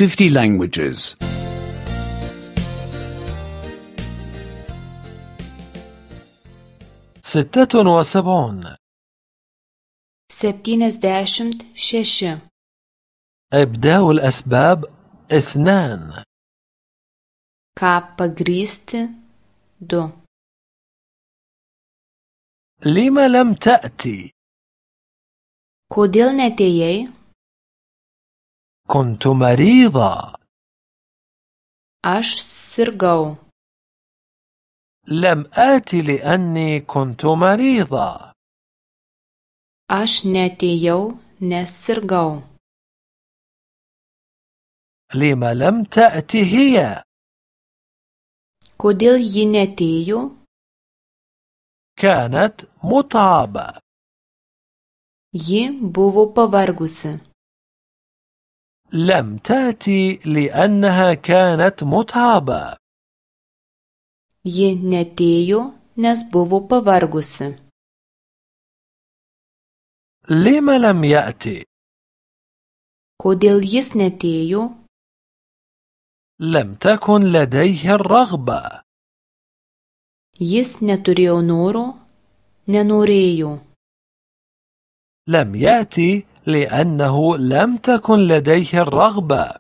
50 languages. 76. 76. إبداء الأسباب 2. Ką pagrįsti 2. لم لم تأتي؟ Kodėl neatėjai? كنت مريضة. Aš sirgau. لم آتي لأني كنت مريضة. Aš neatėjau, nes sirgau. لم لم تأتي هي؟ Kodėl ji neatėjo? كانت متعبة. Ji buvo pavargusi. لم تأتي لأنها كانت متعبة. Ji neatėjo, nes buvo pavargusi. لم لم يأتي؟ Kodėl jis neatėjo? لم تكن لديه الرغبة. Jis neturėjo noro, nenorėjo. لم يأتي لأنه لم تكن لديه الرغبة.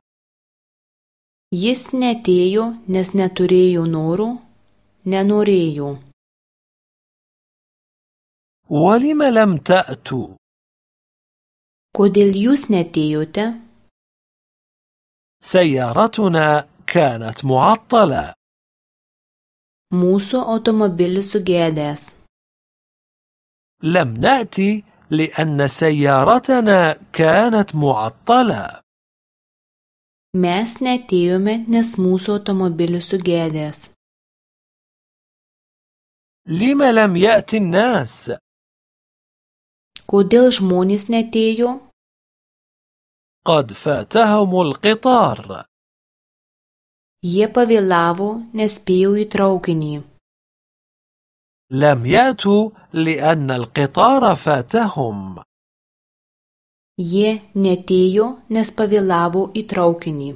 Jis neatėjo, nes neturėjo noro, nenorėjo. ولم لم تأتوا؟ Kodėl jūs neatėjote? سيارتنا كانت معطلة. Mūsų automobilis sugedęs. لم نأتي لأن سيارتنا كانت معطلة. Mes neatėjome, nes mūsų automobilis sugedęs. لم لم يأتي الناس؟ Kodėl žmonės neatėjo? قد فاتهم القطار. Jie pavėlavo, nespėjo į traukinį. لم يأتوا لأن القطار فاتهم. Jie neatėjo, nes pavėlavo į traukinį.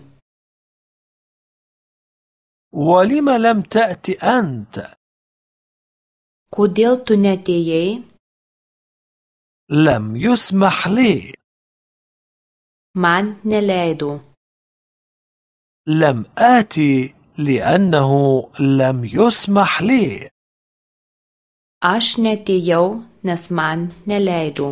ولم لم تأتي أنت؟ Kodėl tu neatėjai? لم يسمح لي. Man neleido. لم آتي لأنه لم يسمح لي. Aš neatėjau, nes man neleido.